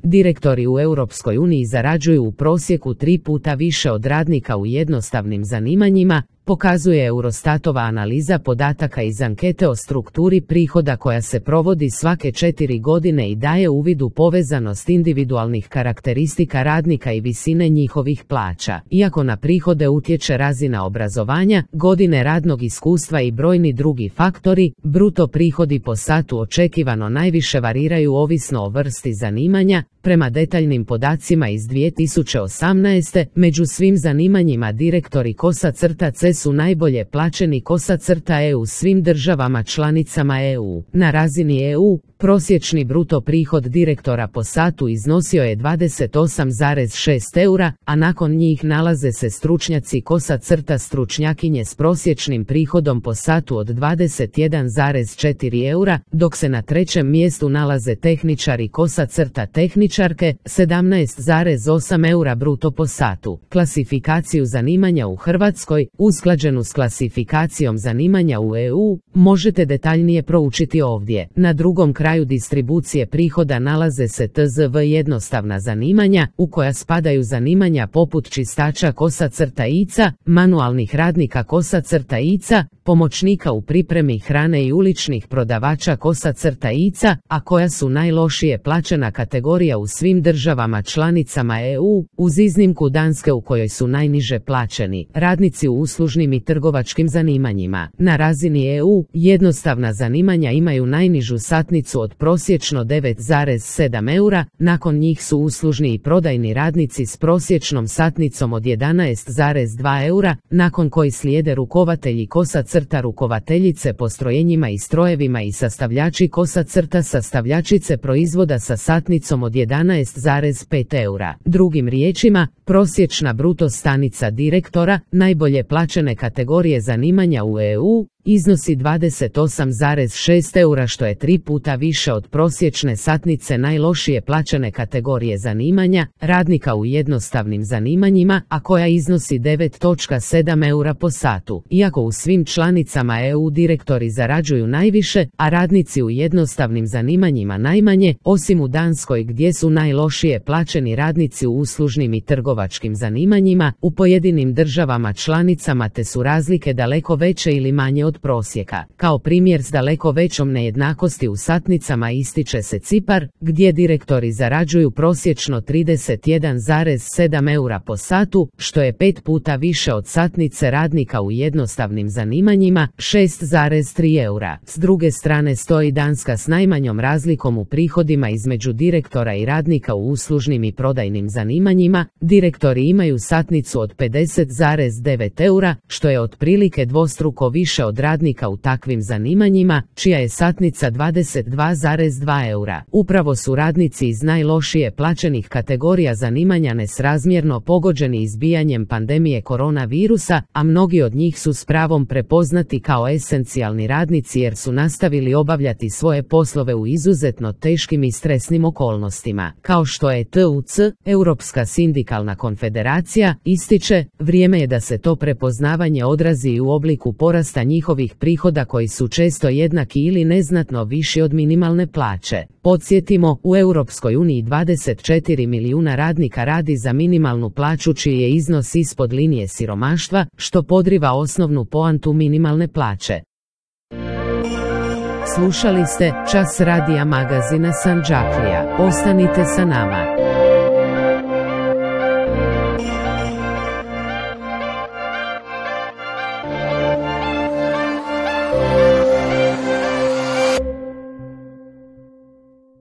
direktori u Europskoj uniji zarađuju u prosjeku 3 puta više od radnika u jednostavnim zanimanjima, pokazuje Eurostatova analiza podataka iz ankete o strukturi prihoda koja se provodi svake 4 godine i daje uvid u povezanost individualnih karakteristika radnika i visine njihovih plaća. Iako na prihode utječe razina obrazovanja, godine radnog iskustva i brojni drugi faktori, bruto prihodi po satu očekivano najviše variraju ovisno o vrsti zanimanja. Prema detaljnim podacima iz 2018. među svim zanimanjima direktori _C su najbolje plaćeni _EU svim državama članicama EU. Na razini EU, prosječni bruto prihod direktora po satu iznosio je 28,6 eura, a nakon njih nalaze se stručnjaci stručnjakinje s prosječnim prihodom po satu od 21,4 eura, dok se na trećem mjestu nalaze tehničari tehničarke 17,8 eura bruto po satu. Klasifikaciju zanimanja u Hrvatskoj, usklađenu s klasifikacijom zanimanja u EU, možete detaljnije proučiti ovdje. Na drugom kraju distribucije prihoda nalaze se TZV jednostavna zanimanja, u koja spadaju zanimanja poput čistača _ica, manualnih radnika _ica, pomoćnika u pripremi hrane i uličnih prodavača _ica, a koja su najlošije plaćena kategorija u svim državama članicama EU, uz iznimku Danske u kojoj su najniže plaćeni radnici u uslužnim i trgovačkim zanimanjima. Na razini EU, jednostavna zanimanja imaju najnižu satnicu od prosječno 9,7 eura, nakon njih su uslužni i prodajni radnici s prosječnom satnicom od 11,2 eura, nakon koji slijede rukovatelji rukovateljice postrojenjima i strojevima i sastavljači sastavljačice proizvoda sa satnicom od 11,5 eura. Drugim riječima, prosječna bruto stanica direktora, najbolje plaćene kategorije zanimanja u EU, iznosi 28,6 eura, što je 3 puta više od prosječne satnice najlošije plaćene kategorije zanimanja, radnika u jednostavnim zanimanjima, a koja iznosi 9,7 eura po satu. Iako u svim članicama EU direktori zarađuju najviše, a radnici u jednostavnim zanimanjima najmanje, osim u Danskoj gdje su najlošije plaćeni radnici u uslužnim i trgovačkim zanimanjima, u pojedinim državama članicama te su razlike daleko veće ili manje od prosjeka. Kao primjer s daleko većom nejednakosti u satnicama ističe se Cipar, gdje direktori zarađuju prosječno 31,7 eura po satu, što je 5 puta više od satnice radnika u jednostavnim zanimanjima, 6,3 eura. S druge strane stoji Danska s najmanjom razlikom u prihodima između direktora i radnika u uslužnim i prodajnim zanimanjima. Direktori imaju satnicu od 50,9 eura, što je otprilike dvostruko više od radnika u takvim zanimanjima, čija je satnica 22,2 eura. Upravo su radnici iz najlošije plaćenih kategorija zanimanja nesrazmjerno pogođeni izbijanjem pandemije koronavirusa, a mnogi od njih su s pravom prepoznati kao esencijalni radnici jer su nastavili obavljati svoje poslove u izuzetno teškim i stresnim okolnostima. Kao što je TUC, Europska sindikalna konfederacija, ističe, vrijeme je da se to prepoznavanje odrazi i u obliku porasta njihovih prihoda koji su često jednaki ili neznatno viši od minimalne plaće. Podsjetimo, u Europskoj uniji 24 milijuna radnika radi za minimalnu plaću čiji je iznos ispod linije siromaštva, što podriva osnovnu poantu minimalne plaće. Slušali ste Čas radija magazina Sandžaklija. Ostanite sa nama.